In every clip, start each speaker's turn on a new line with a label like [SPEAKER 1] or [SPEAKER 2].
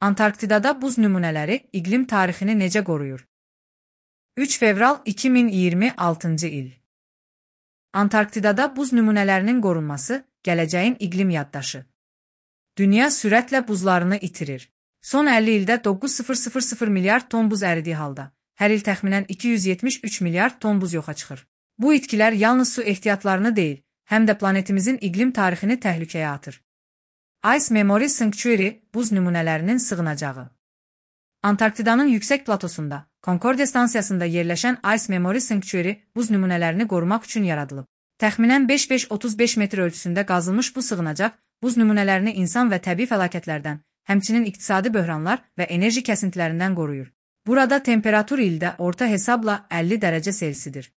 [SPEAKER 1] Antarktidada buz nümunələri iqlim tarixini necə qoruyur? 3 fevral 2026-cı il. Antarktidada buz nümunələrinin qorunması gələcəyin iqlim yaddaşı. Dünya sürətlə buzlarını itirir. Son 50 ildə 9,000 milyard ton buz əridiyi halda, hər il təxminən 273 milyard ton buz yoxa çıxır. Bu itkilər yalnız su ehtiyatlarını deyil, həm də planetimizin iqlim tarixini təhlükəyə atır. Ice Memory Sanctuary buz nümunələrinin sığınacağı. Antarktidanın yüksək platosunda, Concordia stansiyasında yerləşən Ice Memory Sanctuary buz nümunələrini qorumaq üçün yaradılıb. Təxminən 5,35 metr ölçüsündə qazılmış bu sığınacaq, buz nümunələrini insan və təbii fəlakətlərdən, həmçinin iqtisadi böhranlar və enerji kəsintilərindən qoruyur. Burada temperatur ildə orta hesabla 50 dərəcə Selsidir.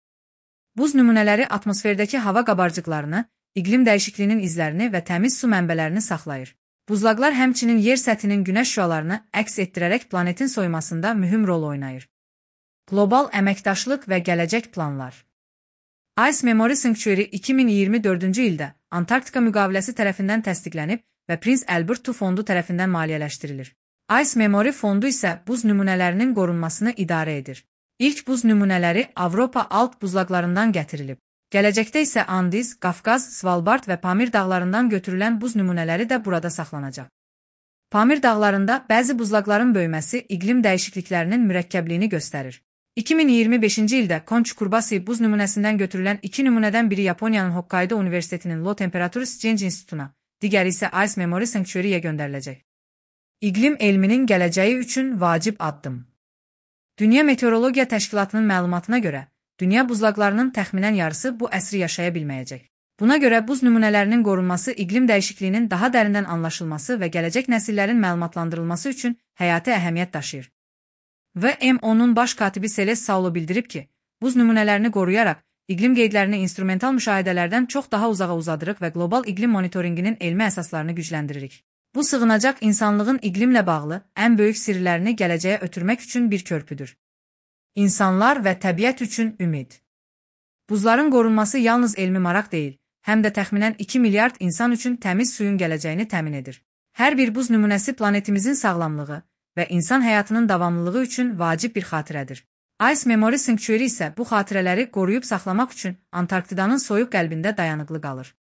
[SPEAKER 1] Buz nümunələri atmosferdəki hava qabarcıqlarını, iqlim dəyişikliyinin izlərini və təmiz su mənbələrini saxlayır. Buzlaqlar həmçinin yer səthinin günəş şüalarını əks etdirərək planetin soyumasında mühüm rol oynayır. Qlobal əməkdaşlıq və gələcək planlar. Ice Memory Sanctuary 2024-cü ildə Antarktika müqaviləsi tərəfindən təsdiqlənib və Prince Albert II fondu tərəfindən maliyyələşdirilir. Ice Memory fondu isə buz nümunələrinin qorunmasını idarə edir. İlk buz nümunələri Avropa alt buzlaqlarından gətirilib. Gələcəkdə isə Andiz, Qafqaz, Svalbard və Pamir dağlarından götürülən buz nümunələri də burada saxlanacaq. Pamir dağlarında bəzi buzlaqların böyüməsi iqlim dəyişikliklərinin mürəkkəbliyini göstərir. 2025-ci ildə Konçukurbasi buz nümunəsindən götürülən 2 nümunədən biri Yaponiyanın Hokkaido Universitetinin Low Temperature Change İnstitutuna, digəri isə Ice Memory Sanctuary-yə göndəriləcək. İqlim elminin gələcəyi üçün vacib addım. Dünya Meteorologiya Təşkilatının məlumatına görə, dünya buzlaqlarının təxminən yarısı bu əsri yaşaya bilməyəcək. Buna görə buz nümunələrinin qorunması iqlim dəyişikliyinin daha dərindən anlaşılması və gələcək nəsillərin məlumatlandırılması üçün həyati əhəmiyyət daşıyır. WMO-nun baş katibi Celeste Saulo bildirib ki, buz nümunələrini qoruyaraq, iqlim qeydlərini instrumental müşahidələrdən çox daha uzağa uzadırıq və qlobal iqlim monitorinqinin elmi əsaslarını gücləndiririk. Bu sığınacaq insanlığın iqlimlə bağlı ən böyük sirlərini gələcəyə ötürmək üçün bir körpüdür. İnsanlar və təbiət üçün ümid. Buzların qorunması yalnız elmi maraq deyil, həm də təxminən 2 milyard insan üçün təmiz suyun gələcəyini təmin edir. Hər bir buz nümunəsi planetimizin sağlamlığı və insan həyatının davamlılığı üçün vacib bir xatirədir. Ice Memory Sanctuary isə bu xatirələri qoruyub saxlamaq üçün Antarktidanın soyuq qəlbində dayanıqlı qalır.